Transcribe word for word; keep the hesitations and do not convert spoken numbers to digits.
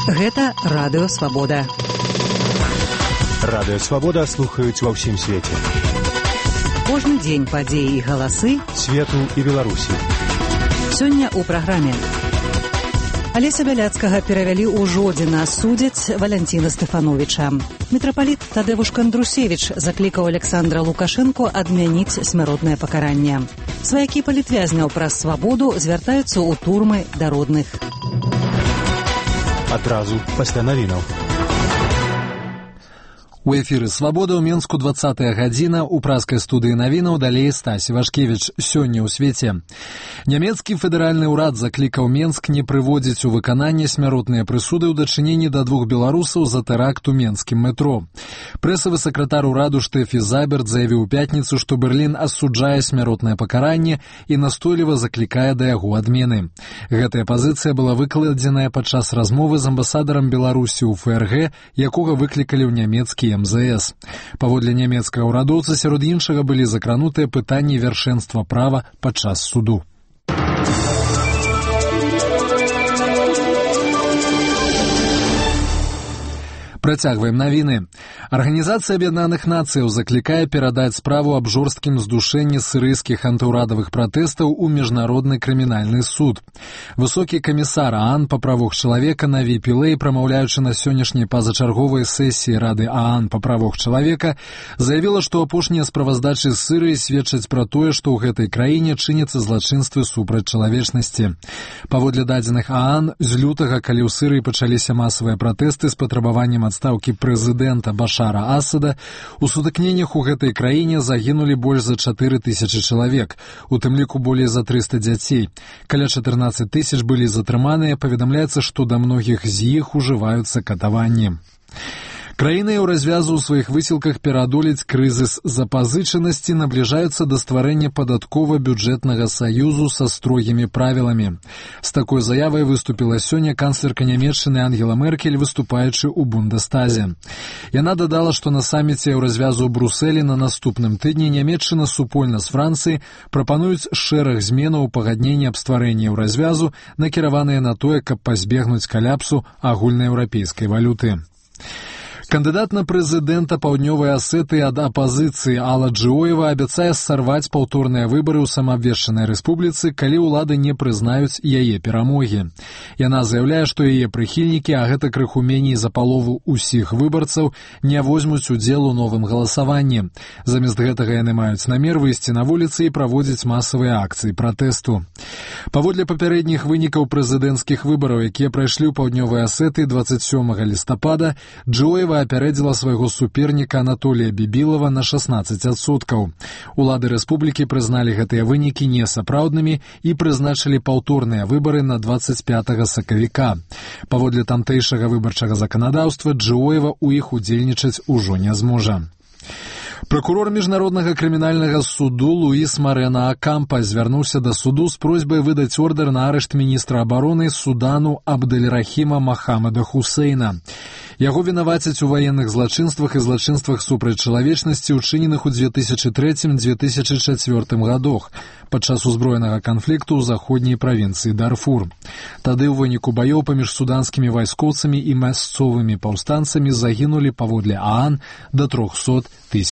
Гэта Радыё Свабода. Радыё Свабода слухаюць ва ўсім свеце. Кожны дзень падзеі і галасы свету і Беларусі. Сёння ў праграме. Алеся Бяляцкага перавялі ў Жодзіна, судзяць Валянціна Стэфановіча. Мітрапаліт Тадэвуш Кандрусевіч заклікаў Александра Лукашэнку адмяніць смяротнае пакаранне. Сваякі палітвязняў праз свабоду звяртаюцца ў турмы да родных. Адразу пасля навінаў. У эфіры «Свабода» ў Менску двадцатая гадзіна, у праскай студыі навінаў далей Стась Івашкевіч. Сёння ў свеце. Нямецкі федэральны ўрад заклікаў Менск не прыводзіць у выкананне смяротныя прысуды ў дачыненні да двух беларусаў за тэракт у менскім метро. Прэсавы сакратар ураду Штэфі Заберт заявіў у пятніцу, што Берлін асуджае смяротнае пакаранне і настойліва заклікае да яго адмены. Гэтая пазіцыя была выкладзеная падчас размовы з амбасадарам Беларусі ў эф эр гэ, якога выклікалі ў нямецкі эм зэ эс. Паводле нямецкага ўрадоўца, сярод іншага былі закранутыя пытанні вяршэнства права падчас суду. Працягваем навіны. Арганізацыя Аб'яднаных Нацыяў заклікае перадаць справу аб жорсткім здушэнні сірыйскіх антыўрадавых пратэстаў у міжнародны крымінальны суд. Высокі камісар ААН па правах чалавека Наві Пілэй, прамаўляючы на сённяшняй пазачарговай сесіі Рады ААН па правах чалавека, заявіла, што апошнія справаздачы з Сірыі сведчаць пра тое, што ў гэтай краіне чыняцца злачынствы супраць чалавечнасці. Паводле дадзеных ААН, з лютага, калі ў Сірыі пачаліся масавыя пратэсты з патрабаваннем адстаўкі прэзідэнта Башара Асада, у сутыкненнях у гэтай краіне загінулі больш за чатыры тысячы чалавек, у тым ліку болей за трыста дзяцей. Каля чатырнаццаць тысяч былі затрыманыя, паведамляецца, што да многіх з іх ужываюцца катаванні. Краіны ў развязу ў сваіх высілках пераадолець крызіс запазычанасці набліжаюцца да стварэння падаткова-бюджэтнага саюзу са строгімі правіламі. З такой заявай выступіла сёння канцлерка Нямецчыны Ангела Меркель, выступаючы ў Бундестазе. Яна дадала, што на саміце ў развязу ў Брусэлі на наступным тыдні Нямецчына супольна з Францыяй прапануюць шэраг зменаў у пагадненні аб стварэнні ў развязу, накіраваныя на тое, каб пазбегнуць каляпсу агульнаеўрапейскай валюты. Кандыдат на прэзідэнта Паўднёвай Асетыі ад апазіцыі Алла Джыоева абяцае сарваць паўторныя выбары ў самаабвешчанай рэспубліцы, калі ўлады не прызнаюць яе перамогі. Яна заяўляе, што яе прыхільнікі, а гэта крыху меней за палову ўсіх выбарцаў, не возьмуць удзел у новым галасаванні. Замест гэтага яны маюць намер выйсці на вуліцы і праводзіць масавыя акцыі пратэсту. Паводле папярэдніх вынікаў прэзідэнцкіх выбараў, якія прайшлі ў Паўднёвай Асетыі дваццаць сёмага лістапада, Джыоева апярэдзіла свайго суперніка Анатолія Бібілава на шаснаццаць адсоткаў. Улады рэспублікі прызналі гэтыя вынікі несапраўднымі і прызначылі паўторныя выбары на дваццаць пятага сакавіка. Паводле тамтэйшага выбарчага заканадаўства, Джыоева ў іх удзельнічаць ужо не зможа. Пракурор міжнароднага крымінальнага суду Луіс Марена Акампа звярнуўся да суду з просьбай выдаць ордэр на арышт міністра абароны Судану Абдэль-Рахіма Махамада Хусейна. Яго вінавацяць у ваенных злачынствах і злачынствах супраць чалавечнасці, учыненых у дзве тысячы трэцім - дзве тысячы чацвёртым гадах падчас узброенага канфлікту ў заходняй правінцыі Дарфур. Тады ў выніку баёў паміж суданскімі вайскоўцамі і мясцовымі паўстанцамі загінулі, паводле ААН, да трохсот тысяч